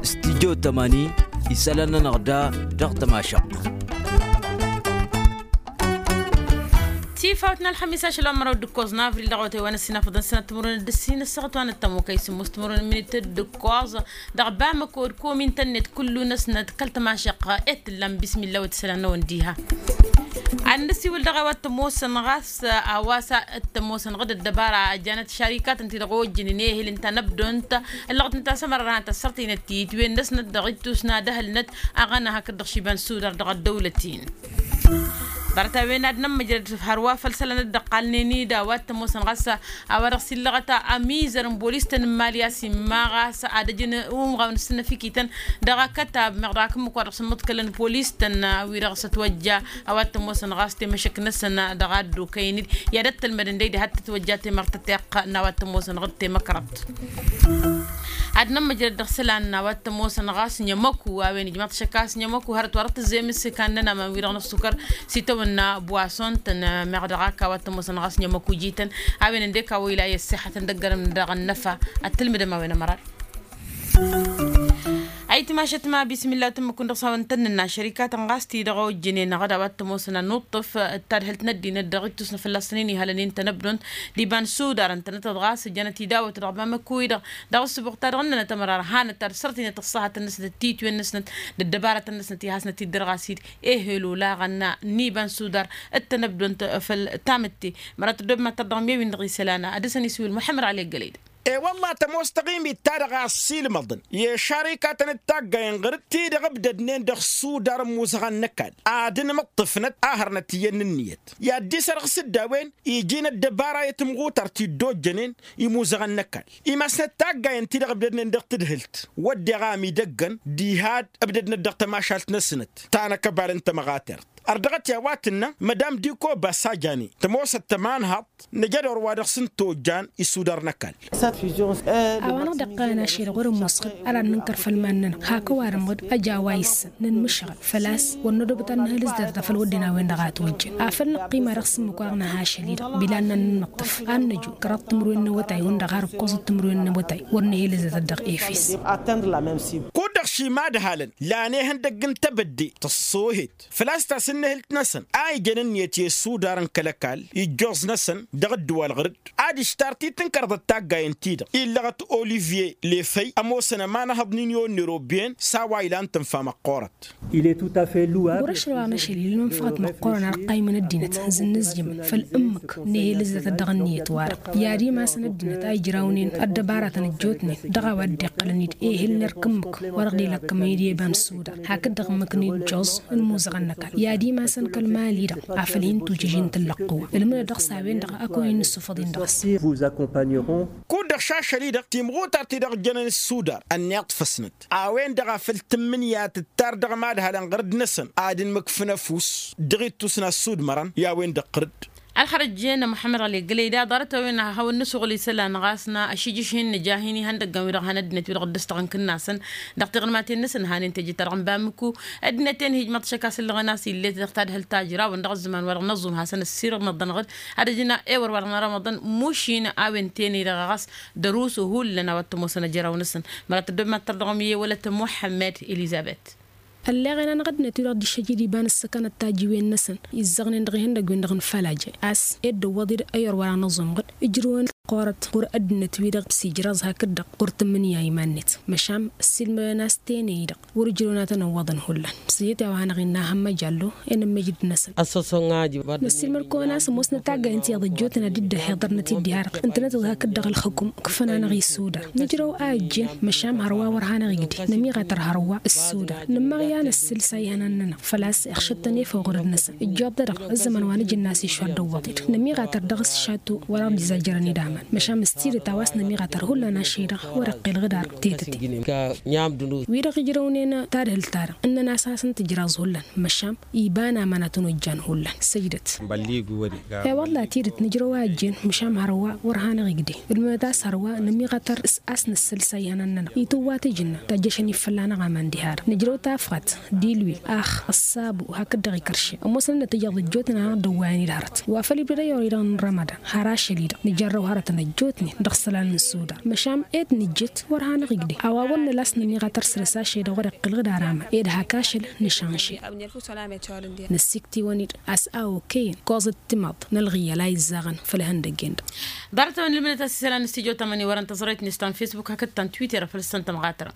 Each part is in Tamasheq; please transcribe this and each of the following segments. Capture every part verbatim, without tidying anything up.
Stijyo tămani isălan-nănăɣ da dăɣ-tămašăɣt. Tifawt n-ălxămis ašăl wa n-măraw d-ǝkkoẓ n-avril dăɣ-awătay wa n-ăssinafăḍăn sănăt timǝrwen d-ǝssin ăssaɣăt wa n-ăttămokăy sǝmmos timǝrwen n-minit d-ǝkkoẓ dăɣ-bamăko d-komin tănnet kullu-năsnăt kăl-tămašăɣt. E t-tǝllam bismilla wa t-isălan-năwăn diha. Ad-nǝsiwǝl dăɣ-e wa t-ămoosăn ɣas a-wa s-ad-t-ămoosăn ɣǝd ăddăbara ăjjanăt šarikatăn-ti-dăɣ ojjănen ehel ǝnta n-ăbdont ǝllăɣăt ǝnta a-s ămăra ad-hanăt-ăssărtăynăt titwen-năsnăt dăɣ-ittus n-ad-ăhălnăt aɣăna hakd-dăɣ šiba n-sudar dăɣ-ăddăwlăt-in. Ḍarăt-a-wen ad-nămmăjrăd hărwa făll-isălan dd-ăqqalnen-dd a-wa t-ămoosăn ɣas a-wa dăɣ-s illăɣăt ămizăr n-bolis-tăn n-imali a-s imma ɣas ad-ăjǝn umɣaw n-ǝssǝnnăfikităn dăɣ-akătab meɣ dăɣ-akǝmmǝk wa dăɣ-s ǝmmǝḍkălăn bolis-tăn wi-dăɣ s-ătwăjja a-wa t-ămoosăn ɣas temăšăk-năsăn dăɣ-ad-dd-okăyăn-dd i-ad-ăttălmădăn d-ăydi had-tătwăjja temăr tăteɣt n-a-wa t-ămoosăn ɣǝd temăkrăḍt. Ad-nămmăjrăd dăɣ-isălan n-a-wa t-ămoosăn ɣas n-emăku a-wen ijmaḍ šăkk a-s n-emăku hărăt wa dăɣ-tǝzzem s-ikan n-ănaman wi-dăɣ n-ăssukăr s-itawănna buwason-tăn. Meɣ dăɣ-ak a-wa t-ămoosăn ɣas n-emăku jităn a-wen ăndek a-wa ila i-ăssixătăn dăgg-ărăm dăɣ-ănnăfa ad-tǝlmǝdăm a-wen ămăra. Ayǝtmašăt ma bismilla tǝmmǝk-wǝn dăɣ-s hawăn-tăn-nǝnna šărikatăn ɣas ti-dăɣ ojjănen ăɣăd a-wa t-ămoosăn ad-nuṭṭǝf d-tadhǝlt n-ăddinăt dăɣ-ittus n-afălla s-tăn-in-ihălăn i-ǝntănăbdont d-iba n-sudar ǝntănătăt ɣas ǝjjănăt idawăt dăɣ-bamăkku-i-dăɣ dăɣ-ǝssǝbuɣ-ta-dăɣ ǝnnănăt ămăra har hanăt-ad-sărtăynăt ăṣṣahăt-năsnăt d-titwen-năsnăt d-ăddăbarătăn-năsnăt i-hasnăt-dd-ărɣas-dd ehel olaɣăn n-iba n-sudar d-tănăbdont făll-tamǝtte. Măra tăddob mad-tărdăɣ mi-ewin dăɣ-isălan ad-dăr-săn isǝwǝl muḥămmăd ălay gălăy-dăɣ. E-wălla tămoos taɣimit-ta-dăɣ a ăssiilmăḍăn i-šarikatăn d-taggayen ɣur-dd ti-dăɣ ǝbdădnen dăɣ-sudar n-imuzăɣăn n-ăkall ad-ǝnmǝṭṭǝfnăt a hărnăt iyyăn n-ǝnniyăt i-ad-dd-isărɣǝs-dd a-wen iji n-ăddăbara i-timɣutart ti dd-ojjănen imuzăɣăn n-ăkall imasnăt taggayen-ti-dăɣ ǝbdădnen dăɣ-tadhǝlt wădden a ămidăggăn diha-dd ǝbdădnăt dăɣ-tămašalt-năsnăt ta n-akăbal n-tămɣatert. Ărdăɣăt i-a-wa tǝnnă madam diko basajani tămoosăt tămanhaḍt năjădor wa dăɣ-s n-tojjan isudar n-ăkall. A-wa-năɣ dd-iqqăyăn ašăl-i-dăɣ wăr-ămoos ɣǝd ad-ad-nǝnkăr făll-iman-nănăɣ hak ăwadǝm ɣǝd ăj a-wa issăn nǝnmǝšɣăl făl-a-s wăr nădobăt ad-nǝhǝlǝs dăr-ta făll-wădden a-wen-dăɣ a ătwăjjăn afăl năqqima dăɣ-s ǝmmǝk wa dăɣ-nǝha ašăl-i-dăɣ bila ad-nănmăṭṭăf ad-năju kăraḍ timǝrwen n-awătay hundăɣ har ǝkkoẓăt timǝrwen n-awătay wăr nǝhǝlǝs dăr-ta dăɣ-efes. Kud-dăɣ šimadhalăn lan ihăndăgg n-tebădde tăṣṣoohet făl-a-s tasǝnnǝhǝlt-năsăn a ijăn ǝnniyăt i-isudar n-kăl-ăkall ijjoẓ-năsăn dăɣ-ǝddǝwal ɣur-dd ad-ǝštar ti tǝnkărăḍăt taggayen-ti-dăɣ illăɣăt olivye lefăy ămoosăn ămanăhăḍ-in i-onnerobben s-a-wa ilan tǝnfa măqqoorăt. Ɣur-ašăl wa n-ašăl-i ǝlmǝnfăɣăt măqqoorăn ar ǝqqaymăn ăddinăt zǝnnǝzjǝmăn făll-ǝmmǝk n-ehel ǝzzătăt dăɣ-ǝnniyăt wa-dăɣ i-ad-imasăn ăddinăt a ijrawnen ăddăbaratăn ăjjootnen dăɣ-a-wa dd-iqqălăn-dd ehel n-erk ǝmmǝk wa dăɣ-dd-ilakkămăn i-dd i-eba n-suda hakd-dăɣ ǝmmǝk n-ijjoẓ n-imuzăɣăn n-ăkall i-ad-imasăn kăl-imali-dăɣ afăl hin-tujǝžin tǝllăqqǝwăn ǝlmǝdăt dăɣ-s a-wen-dăɣ ăkoyăn n-isufăḍ-in dăɣ-s. Kud-dăɣ šašăl-i-dăɣ timɣutart-ti-dăɣ ǝjjănăn ǝssudar ănniḍ făsnăt a-wen-dăɣ a făl tǝmmǝnǝya tǝttar dăɣ-imadhalăn ɣur-dd-năsăn ad-ǝnmǝkfǝn ăfuss dăɣ-ittus n-assudmărăn i-a-wen-dăɣ ɣur-dd. Ălxărăt jen muḥămmăd ɣăli gălăy da ḍarăt a-wen a hawăn-nǝsuɣǝl isălan ɣas n-ašǝjjǝš hin-nǝja hin-ihăndăggăn wi-dăɣ han ăddinăt wi-dăɣ dd-ăstăɣăn kǝnnasăn dăɣ-tiɣǝlmaten-năsăn hanen teje-ta-dăɣ n-bamǝku. Ăddinăt-en hijmăḍ šăkk a-s ǝllăɣăn a-s ill'-et dăɣ-tadhǝlt ta ǝjrawăn dăɣ-ăzzăman wa dăɣ-năẓum hasăn-ăssirăḍnăḍăn ɣǝd ad-ǝjǝn ewăr wa dăɣ-nărămăḍăn mušin a-wen tene-dăɣ ɣas dăr-us ohullan a-wa t-ămoosăn ăjraw-năsăn. Măra tăddob mad-tărdăɣ mi-e wălăt muḥămmăd elizăbet. Ălleɣen-anăɣ ăddinăt-wi-dăɣ dd-iššăjjed iba n-ǝssǝkănăt tajǝwen-năsăn izzăɣnen dăɣ-ihăndăgg-wen-dăɣ n-ifălajăn a-s ed dd-ăwwăḍ-dd ăyyor wa dăɣ-năẓum ɣǝd ǝjrǝwăn ăqqoorăt ɣur-ăddinăt-wi-dăɣ s-ijraẓ hakd-dăɣ ɣur-tǝmmǝnǝya iman-net. Măšan ǝssilmădăn a-s tene-i-dăɣ wăr ǝjrǝwăn ad-tăn-ăwwăḍăn hullan s-ejăt i-a-wa hanăɣ-innă ahămmăj allo enămmăjrǝd-năsăn. Năssiilmăd-kăwăn a-s ămoosnăt taggayen ti-dăɣ ăjjootnen ad-dd-ăhhiḍărnăt-dd i-harăɣ ǝntănăt-dd hakd-dăɣ ălxǝkum kǝfăn-anăɣ isudar nǝjrăw a ăjjeen. Măšan hărwa wăr hanăɣ-igdǝy nămiɣatăr hărwa ǝssudar nǝmmăɣ i-ad-năssǝl s-a ihănan-nănăɣ făl-a-s iɣšăd-tăn efăw ɣur-dd-năsăn. Ǝjjoḍ-dăɣ ǝzzăman wa nǝjǝnna a-s išwa dd-ăwwăḍ-dd nămiɣatăr dăɣ-s šatu wăr-aɣ dd-izajjărăn-dd aman. Măšan s-tidǝt a-wa s-nămiɣatăr hullan ašăl-i-dăɣ wăr-iqqel ɣǝd ar tetăte. Wi-dăɣ ijrăwnen tadhǝlt-ta-dăɣ ǝnnăn a-s ad-hasăn-tǝjraẓ hullan. Măšan iba n-aman ad-tăn-ojjan hullan. Săjdăt. E-wălla tidǝt nǝjrăw a ăjjeen măšan hărwa wăr hanăɣ-igdǝy ǝlmǝdăt a-s hărwa nămiɣatăr a-s nǝssǝl s-a ihănan-nănăɣ itǝwwa tijǝnna tajjăšăn-i fălla-năɣ aman diha-dăɣ nǝjrăw tafɣat d-ilwil ax ăṣṣabu hakd-dăɣ ikărše. Ămoosăn ad-nătǝjăḍ ăjjootnen a hanăɣ-dd-ăwwayăn-dd hărăt wa făl ibdăd ăyyor-i-dăɣ n-rămădan har ašăl-i-dăɣ nǝjărrăw hărăt. tăn-ăjjootnen dăɣ-isălan n-sudan măšan ed nǝjjǝt wăr hanăɣ-igdeh a-wa wăr nǝla a-s năniɣ a tăr-săr-s ašăl-i-dăɣ wăr-iqqǝlăɣ d-arama ed hak ašăl nǝšănšel. Năssikt'-iwăn-dd a-s a okăyăn koẓăt timaḍt n-ălɣiyyăl a izzaɣăn făll-ihăndăgg-en-dăɣ. Ḍarăt-a-wen ǝlmǝdăt a-s isălan n-stujo tamăni wărăn tăẓrăyt n-istan facebook hakd ta n-twitter făll-săn tămɣatra.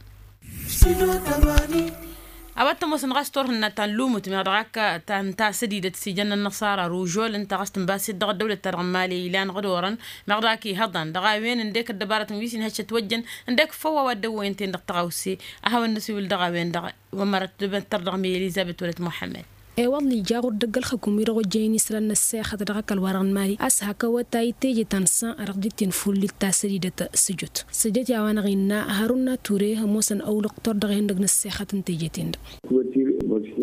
A-wa t-ămoosăn ɣas turhǝnna ta n-lumǝt meɣ dăɣ-ak ta n-tasădidăt s-ijăn n-ănnăṣara ružol ǝnta ɣas tǝnbas-dd dăɣ-ăddăwlăt-ta-dăɣ n-imali ilan ɣǝd orăn meɣ dăɣ-ak ihăḍan dăɣ-a-wen ǝndek ăddăbarătăn wi s-inhăššăt wăjjăn ǝndek făw a-wa dd-ăwwăyăn-ten-dăɣ tăɣawse. A hawăn-năsiwǝl dăɣ-a-wen-dăɣ. Wa mărăt dăbăttăr dăɣ-mi elizăbet wălăt muḥămmăd. I-wălla ija ɣur-dd ăgg-ălxǝkum-i-dăɣ ojjăyăn isălan n-ăssexăt dăɣ-ăkall-wa-dăɣ n-imali a-s hak ăwătay teje ta n-săn a dăɣ-dd-tinfullit tasădidăt. Sǝjǝt săjjăt i-a-wa-năɣ innă hărun n-ature ămoosăn ăwlăqtor dăɣ-ihăndăg n-ăssexăt n-teje-ten-dăɣ.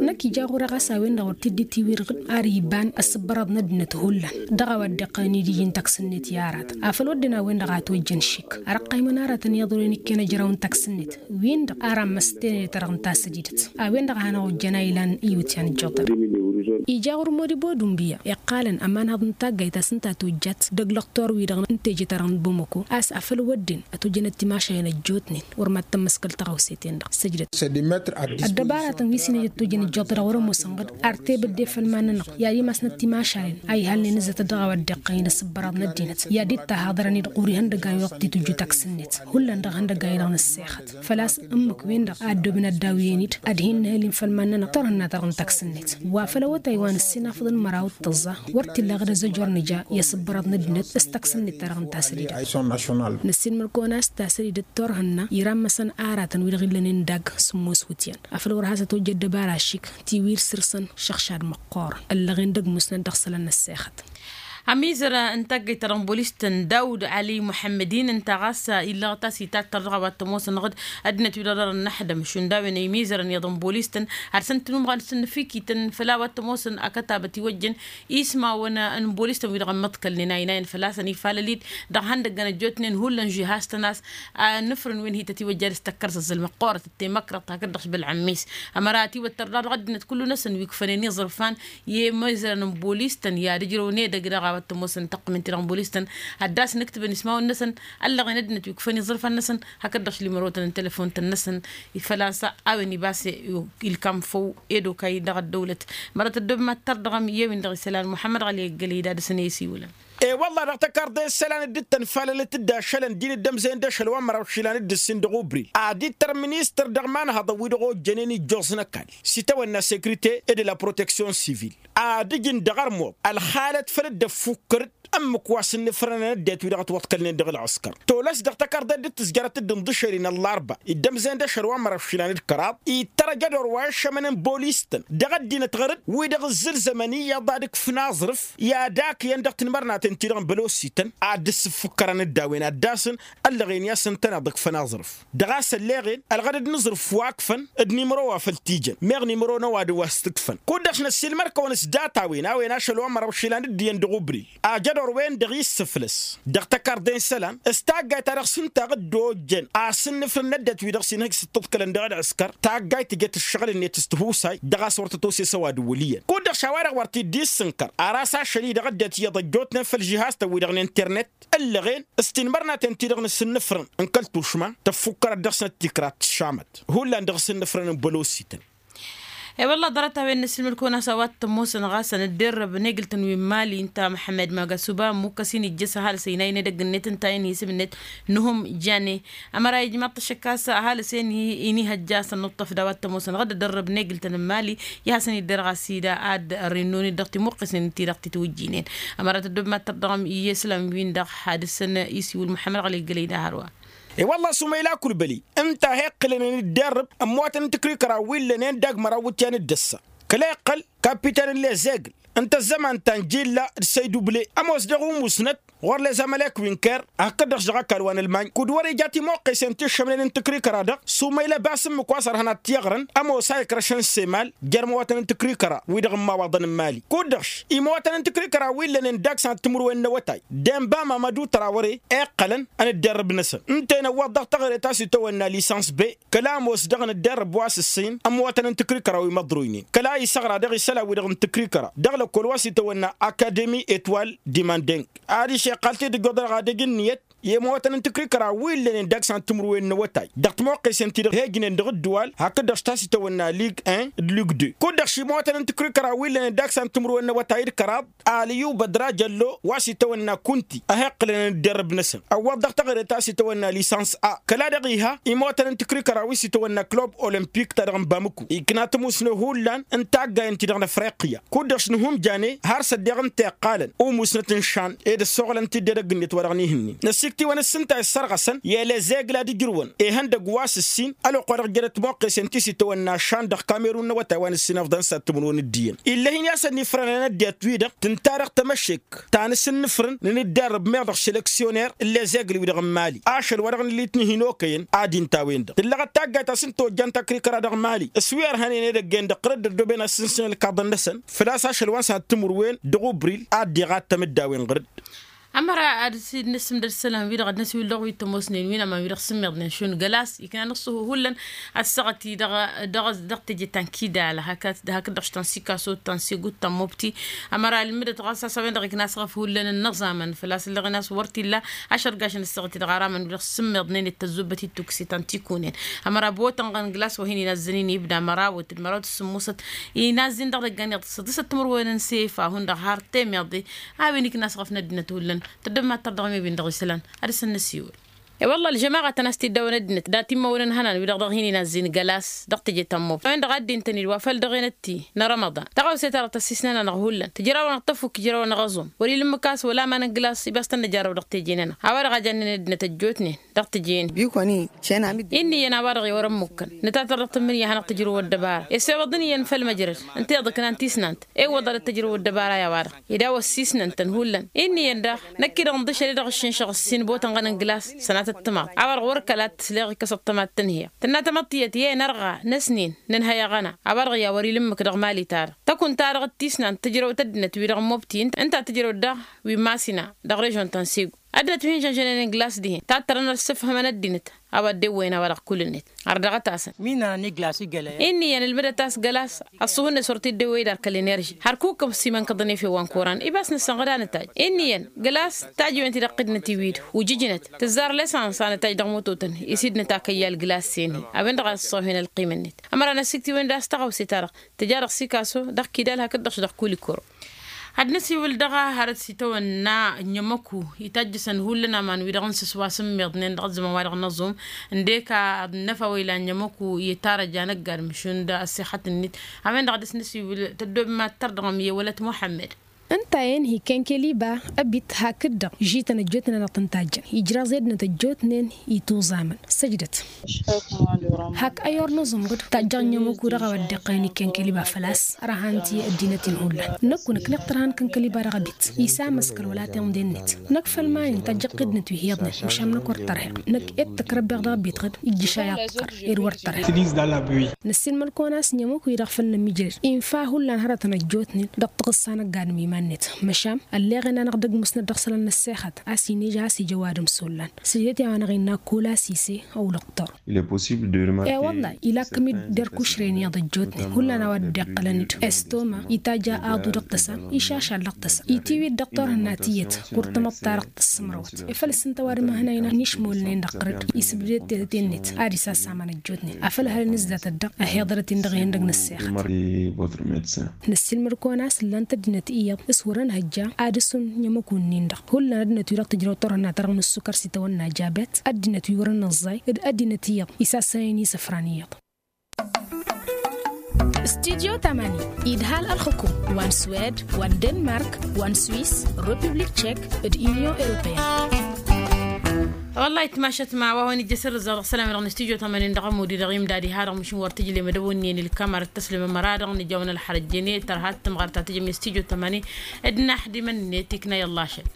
Năkk ija ɣur-e ɣas a-wen-dăɣ wăr t-dd-itiwirɣǝd ar iban ăssǝbbărăḍ n-ăddinăt hullan dăɣ-a-wa dd-iqqălăn idiji n-taksǝnnet i-aratăn afăl wădden a-wen-dăɣ a tojjăn šik. Ar ăqqaymăn aratăn iyyăḍ wăren ikken ăjraw n-taksǝnnet wi-dăɣ ar ammăs tenăde-ta-dăɣ n-tasǝdidăt. A-wen-dăɣ a hanăɣ-ojjăn a ilan iwǝtyan ǝjjăḍ-dăɣ. Ija ɣur-modibo d-unbǝyya iqqalăn ămanhăḍ n-taggayt a-s ǝnta a tojjat dăgg-lăqtor-wi-dăɣ n-teje-ta-dăɣ n-bomăko a-s afăl wădden ătojjănăt timašalen ăjjootnen wăr mad-tămmăskăl taɣăwse-ten-dăɣ săjdăt. Ăddăbaratăn wi s-inăjăt tojjăn ǝjjăḍ-dăɣ wăr-ămoosăn ɣǝd ar tebădde făll-iman-nănăɣ i-ad-imasnăt timašalen a ihalnen ǝzzătăt dăɣ-a-wa dd-iqqăyăn ăssǝbbărăḍ n-ăddinăt i-ad-dd-tahaḍărăn-dd ɣur-ihăndăgg a-wi-dăɣ t-tujju taksǝnnet hullan dăɣ-ihăndăgg a-wi-dăɣ n-ăssexăt. Făl-a-s ǝmmǝk-wen-dăɣ a ăddoobăn ad-dd-awǝyăn-dd ad-hin-nǝhǝl-in făll-iman-nănăɣ turhǝnna-ta-dăɣ n-taksǝnnet wa făll-awătay wa năssin afăḍăn măraw d-tăẓẓa wăr t-illa ɣǝd ăzzăjor nǝja i-asǝbbărăḍ n-ăddinăt s-taksǝnnet-ta-dăɣ n-tasădidăt. Năssin mălkăwăn a-s tasădidăt turhǝnna iramăsăn aratăn wi-dăɣ illănen dagg sǝmmos wǝtyan afăl wăr has-ătwăjja ăddăbara ašik tiwir săr-săn šăɣšad măqqoorăn ăllăɣen d-ăgg musnăt dăɣ-isălan n-ăssexăt. Ămizăr n-taggayt ta dăɣ-n bolis-tăn dawd ali muḥămmăd-in ǝnta ɣas illăɣăt a-s itattăr dăɣ-a-wa t-ămoosăn ɣǝd ăddinăt wi-dăɣ dăr-ănnăḥdăm šund a-wen ăymizărăn iyyăḍ n-bolis-tăn ad-săn-tǝnumɣăn s-ǝnnǝfikităn făll-a-wa t-ămoosăn akătabăt iwăjjăn ismawăn n-bolis-tăn wi-dăɣ ămmăḍkălnen a inayăn fălla-săn ifalăl-dd dăɣ-ihăndăggăn ăjjootnen hullan žihaz-tăn a-s. Nǝfrǝn wi n-hi-tătiwăjja ad-ǝstăkkăr zăzzăl măqqoorăt d-temăkrăḍt hakd-dăɣ-s bălɣămmis ămăra ătiwăttăr daɣ dăɣ-ăddinăt kullu-năsăn wi ǝkfănen iẓrǝfan i-imizărăn n-bolis-tăn i-ad-ǝjrăwăn edăgg dăɣ-a-wa t-ămoosăn tăqqǝmen-ti-dăɣ n-bolis-tăn ad-dd-asnǝktǝbăn ismawăn-năsăn ăllăɣen ăddinăt wi ǝkfăn iẓrǝfan-năsăn hakd-dăɣ-s limărotăn n-telăfon-tăn-năsăn. Făl-a-s a-wen ibas ilkam făw ed okăy dăɣ-ăddăwlăt. Mărăt ăddoob mad-tărdăɣăm i-ewin dăɣ-isălan muḥămmăd ɣăli eggălăy d-ad-dăɣ-săn e-isiwǝlăn. E-wălla-ɣ dăɣ-tăkarḍe n-isălan dd-tăn-falălăt d-ašălăn din dd-ămzăyăn d-ašăl wa n-măraw išilan d-ǝssin dăɣ-ubri ad-ittăr ministăr dăɣ-imanhăḍăn wi-dăɣ ojjănen ijjoẓ n-ăkall s-itawănna sekrite ed la proteksyon sivil ad-ǝjǝn dăɣ-armuḍ ălxalăt făll-dd-ăffukkăr-dd ǝmmǝk wa s-ǝnnǝfrănăn ăddinăt wi dăɣ-ătwăḍkălnen dăɣ-ălɣǝskăr tolăs dăɣ-tăkarḍe dd-tǝzjărăt d-inḍǝšăl-in ăllarba dd-ămzăyăn d-ašăl wa n-măraw išilan d-kăraḍ ittăr ajădor wa ăššămăn n-bolis-tăn dăɣ-ăddinăt ɣăr-dd wi-dăɣ ǝzzǝlzămăn iyyăḍ ad-ǝkfǝn aẓrǝf i-ad-akǝyăn dăɣ-tinmărnaten-ti-dăɣ n-bălosităn ad-dd-sǝffukkărăn d-a-wen ad-dd-asǝn ăllăɣen i-asǝntăn ad-ǝkfăn aẓrǝf. Dăɣ-a-s ălleɣen ălɣădăd n-aẓrǝf wa ǝkfăn d-nimăro wa făl t-ijăn meɣ nimăro n-ăwadǝm wa s-t-ǝkfăn. Kud-dăɣ s-năssiilmăr-kăwăn s-datawin a-wen ašăl wa n-măraw išilan dd-iyyăn dăɣ-ubri ajădor-wen-dăɣ i-ǝssǝflăs dăɣ-tăkarḍe n-isălan s-taggayt ta dăɣ-s ǝnta a dd-ojjăn asǝnnǝfrǝn n-ăddinăt wi-dăɣ s-inhǝj s-ǝṭṭǝḍkălăn dăɣ-ălɣǝskăr taggayt tǝjăt ǝššăɣǝl-net s-tihusay dăɣ-a-s wăr tătose s-ăwadǝm wăl' iyyăn. Kud-dăɣ šawa-dăɣ wăr t-dd-issǝnkăr ar a-s ašăl-i dăɣ-ăddinăt iyyăḍ ăjjootnen făll-žihaz-tăn-wi-dăɣ n-internet ǝllăɣen s-tinmărnaten-ti-dăɣ n-asǝnnǝfrǝn n-kăl-tušma tăffukkărăt dăɣ-snăt tikra tǝššamăt hullan dăɣ-asǝnnǝfrǝn n-bălosităn. E-wălla ḍarăt-a-wen n-asǝlmǝd-kăwăn a-s a-wa t-ămoosăn ɣasăn dd-errăb n-egǝl-tăn wi n-imali ǝnta măḥămmăd magasuba ămmukkăs-in ijjăs ăhalǝs ăynayăn edăgg-net ǝnta-en hi-isǝm-net nuhum jane. Ămăra ijmaḍ-t ăššăk a-s ăhalǝs-en inihăjja a-s ănnuṭṭăf d-a-wa t-ămoosăn ɣǝdd ăddărrăb n-egǝl-tăn n-imali i-ad-hasăn-idder ɣas ida ad-ărrǝnnon-dd dăɣ-timuqqesen-ti-dăɣ titwǝjjinen. Ămăra tăddob mad-tărdăɣăm i-islam-win-dăɣ had-dăɣ-săn isiwǝl muḥămmăd ɣăli ǝggălăy d-ahărwa. E-wălla-ɣ s-umayla kulbăli ǝnta a hi-iqqǝlănen dd-errăb ămmootăn n-tǝkrikăra wi ǝllănen dagg măraw iwǝtyan d-ǝssa kăla iqqăl kapiten n-lezegl ǝnta ăzzăman ta n-jilla d-săyduble ămoos dăɣ-umusnăt ɣur-lezămălek wi n-ker hakd-dăɣ s-dăɣ-ăkall wa n-ălmany kud-wăr-ija timuqqesen ti ǝššămnen n-tǝkrikăra-dăɣ s-umayla ăbas ǝmmǝk wa s-ărhănat tiɣrăn ămoos a ikrăšăn s-emal jer-imăwatăn n-tǝkrikăra wi-dăɣ n-imawaḍăn n-imali kud-dăɣ-š imăwatăn n-tǝkrikăra wi ǝllănen dagg-săn timǝrwen n-awătay d-enba mamădu tărawăre iqqălăn ănǝdderrǝb-năsăn ǝnta-en ăwwăḍ dăɣ-teɣăre ta s-itawănna lisans be kăla ămoos dăɣ-nǝdderrǝb wa s-ǝssǝyǝn ămwătăn n-tǝkrikăra wi măḍroynen kăla isăɣra dăɣ-isălan-wi-dăɣ n-tǝkrikăra dăɣ-lăk Kăwăl wa s-itawănna akademi etwal dimandeng adiš iqqal-t-dd ǝjjuḍ dăɣ-adăj ǝnniyăt i-imawătăn n-tikrikăra wi ǝllănen dăɣ-san timǝrwen n-awătay dăɣ-timoqqesen-ti-dăɣ hejnen dăɣ-ǝddǝwal hakd-dăɣ s-ta s-itawănna lig en d-lig deux kud-dăɣ šimawătăn n-tikrikăra wi ǝllănen dăɣ-san timǝrwen n-awătay d-kăraḍ. Alǝyyuba d-raja ăllo wa s-itawănna kunti a heqqǝlăn d-derrǝb-năsăn ăwwăḍ dăɣ-taɣre ta s-itawănna lisans a kăla-dăɣ iha imawătăn n-tikrikăra wi s-itawănna klub olimpik ta dăɣ-n bamǝku ikna tămusne hullan n-taggayen-ti-dăɣ n-afriqya kud-dăɣ s-nǝhumjane har s-ăddeɣ ǝnta iqqalăn umusnăt n-šan ed ăssoɣlăn-t-dd edăgg-net wa dăɣ-nihǝnnin năsikt'-iwăn ǝssǝnta i-issărɣăsăn i-elezeg la d-ǝjrǝwăn ihăndăgg wa s-ǝssin ălwăqq wa dăɣ-jărăt timoqqesen ti s-itawănna šan dăɣ-kamerun n-awătay wa n-ǝssin ăfḍăn s-ad-timǝrwen d-iyyăn ill'-e-hin i-asăn ifrăn ănăddiyăt-wi-dăɣ tǝnta dăɣ-tămăšek ta n-asǝnnǝfrǝn n-inǝddarrǝb meɣ dăɣ-selăksyoner n-lezegl-wi-dăɣ n-mali ašăl wa dăɣ-nǝllit n-hin-okăyăn ad-inta a-wen-dăɣ tǝllăɣăt taggayt a-s n-tojja n-takrikăra dăɣ-mali s-wi ărhănen edăgg-en-dăɣ ɣǝrǝd ăddooben ad-sǝnsǝn ălkaḍăn-năsăn făl-a-s ašăl wa n-săhat timǝrwen dăɣ-ubril ad-dd-iɣattăm d-a-wen ɣǝrǝd. Ămăra ad-dăr-s dd-nǝssǝmdăd isălan-wi-dăɣ ad-năsiwǝl dăɣ-wi t-ămoosnen wi n-aman wi-dăɣ sǝmmeḍnen šund gălas ikna nǝṣṣuhu hullan ăssăɣăt-i dăɣ-teje ta n-kidal hakd-dăɣ ta n-sikaso ta n-segut ta n-mobti. Ămăra ǝlmǝdăt ɣas a-s a-wen-dăɣ ikna asɣăf hullan n-inǝẓamăn făl-a-s ǝllăɣen a-s wăr t-illa ašărgaš n-ăssăɣăt-i-dăɣ aramăn wi-dăɣ sǝmmeḍnen d-tăzzubbăt-i d-tukǝse ta n-tikunǝn. Ămăra botănɣăn glas wa hin-inazzăn-in ibda mărawăt d-mărawăt s-sǝmmusăt inazzin dăɣ-idăggan iyyăḍ s-ăḍḍisăt timǝrwen n-sefa hundăɣ har temeḍe. A-wen ikna asɣăf n-ăddinăt hullan tăddăb mad-tărdăɣ mebin dăɣ-isălan ad-dăr-săn năsiwǝl. E-wălla ălžămaɣăt ănn a-s t-iddawăn ăddinăt dat-immăwăn n-ihănan wi-dăɣ dăɣ-hin-inazzin gălas dăɣ-teje ta n-mobti a-wen-dăɣ a dd-intăn-dd wa făl dăɣ-enătti n-rămăḍan. Tăɣawse-ta-dăɣ tăssisnăn-anăɣ hullan tǝjrawăn-aɣ tăfuk ǝjrawăn-aɣ aẓum wăr-ila ǝmmǝk a-s wăla aman n-glas i-bass tăn-nǝjarrăw dăɣ-teje-nănăɣ. A-wa-dăɣ a jannen ăddinăt ăjjootnen dăɣ-teje-nen. Inn' iyyăn a-wa-dăɣ i-wăr-ămmukkăn nǝtatăr dăɣ-tǝmmǝnǝya a hanăɣ-tǝjrǝwăt dăbara. Esse iwăḍăn iyyăn făll-măjrăd ǝnta iḍǝknan tisnant iwwăḍălăt tǝjrǝwăt dăbara i-a-wa-dăɣ. Ed a-wa ăssiisnăn-tăn hullan. Inn' iyyăn daɣ năkk-i-dăɣ ǝnḍǝšăl i-dăɣ ǝššǝnšăɣ ǝssin botănɣăn n-glas sănatăt tămaḍt. A-wa-dăɣ wăr kăla t-sleɣ ikkăs ăṭṭăma d-tǝnhǝya tǝnna tamăḍt tiyyăt i-e nărɣa n-asnin nǝnhăy aɣăna. A-wa-dăɣ i-a wăr-ila ǝmmǝk dăɣ-mali-ta-dăɣ tăkunt-ta-dăɣ d-tisnant tǝjrăwt ăddinăt-wi-dăɣ n-mobti ǝnta tǝjrăwt daɣ wi n-masina dăɣ-režon ta n-segu. Ăddinăt wi hin-žănžănen glas dihen tattărăn ad-sǝfhǝmăn ăddinăt a-wa dd-ewwăyăn a-wa-dăɣ kull-net. Ărdăɣăt-asăn. Inn' iyyăn ǝlmǝdăt a-s gălas ăṣṣuhu-net wăr t-dd-ewwăy d-arkăl enerži hărkukăm s-imănkăḍăn efew wa n-koran ibas nǝssănɣăd anătaj. Inn' iyyăn gălas tajǝwen-ti dăɣ-qidnăt iwid ujǝjnăt tǝzzar lesans anătaj dăɣ-mututăn. Isidnăt akăyy alglas-en-hi a-wen-dăɣ a ăssăɣwhen ălqimăn-net. Ămăra n-asiktiwen d-a-s tăɣawse-ta-dăɣ tǝja dăɣ-sikaso dăɣ-kidal hakd-dăɣ s-dăɣ kulikoro. Ad-năsiwǝl dăɣ-a hărăt s-itawănna n-ămmăku itajjăsăn hullan aman wi-dăɣ n-sǝs wa s-ǝmmiḍnen dăɣ-ăzzăman wa dăɣ-năẓum. Ǝndek ad-năfa wa ilan n-ămmăku i-tarăja n-ăgg-adǝm šund ăssixăt-net. A-wen-dăɣ a dăr-s năsiwǝl tăddob mad-tărdăɣăm i-wălăt muḥămmăd. Ǝnta-en hi-kenkeliba ăbit hakd-dăɣ žităn ăjjootnen a dăɣ-tăn-tajjăn ijraẓ i-ăddinăt ăjjootnen. Ituẓamăn săjdăt. Hak ăyornăẓ umɣǝd tajjăɣ n-ămmăku dăɣ-a-wa dd-iqqălăn i-kenkeliba făl-a-s ărhan ti ăddinăt-in hullan. Năkk-u năkk nǝqtăr han kănkăliba dăɣ-ebit isa amăskăl wăla tiḍǝnde-net. Năkk făll-iman-in tajjăɣ tidǝnăt wi hi-iyyăḍnen măšan năkk wăr tărhăyăɣ. Năkk ed tăkrăbbeɣ dăɣ-ebit ɣǝd ijjǝš a i-aḍkăr ed wăr tărhăyăɣ. Năssiilmăl-kăwăn a-s n-ămmăku-i-dăɣ făl nămmiijrăd infa hullan hărătăn ăjjootnen dăɣ-taɣǝssa n-ăgg-adǝm iman-net. Măšan ălleɣen-anăɣ d-ăgg musnăt dăɣ-isălan n-ăssexăt a-s inija a-s ija ăwadǝm s-ollan. Sǝjdăt i-a-wa-năɣ innă kăwăl-a-s ise ăwlăɣ. Tor. E wăllah ila kăm-dd-erk ušren iyyăḍ ăjjootnen hullan a-wa dd-iqqălăn-dd estoma itajj aḍu dăɣ-tăsa išašal dăɣ-tăsa itiwǝy-dd dăɣ-turhǝnna tiyyăt. Ɣur-tamăḍt-ta-dăɣ tăssǝmrăwăt e făl ǝssǝntă ăwadǝm ăhǝnay n-išmolnen dăɣ-tărăd isǝbdăd tetăt-en-net. Ad-isasamăn ăjjootnen afăl hărăn izdatăt-dăɣ ăhiḍărăt-in dăɣ-ihăndăg n-ăssexăt. Năssiilmăd-kăwăn a-s ǝllan-t ăddinăt iyyăḍ s-wărăn hăjja ad-ǝssun i-ămmăku-nin-dăɣ. Hullan ăddinăt wi-dăɣ tǝjrăw turhǝnna-ta-dăɣ n-ǝssukăr s-itawănna jabet ăddinăt wi wărăn nǝẓẓay d-ăddinăt iyyăḍ isassănen isăfran iyyăḍ. Studyo tămani idhal ălxǝkum wa n-swed wa n-denmark wa n-swis, republik tšek, d-unyon europeyăn. Wăllah itmašăt ma wa hawăn-ijjăs irrǝzzaɣ dăɣ-isălan-wi-dăɣ n-studyo tămani dăɣ-ămud-i-dăɣ imdad iha-dăɣ măšin wăr tǝjlem ad-ăwǝnni n-ǝlkămăr d-tăslǝm ămăra-dăɣ nǝjawăn ălxărăjjăn i-tărha d-tǝmɣăr ta tǝjăm i-studyo tămani. D-naḥdimăn-net ikna i-ăllah ašăl.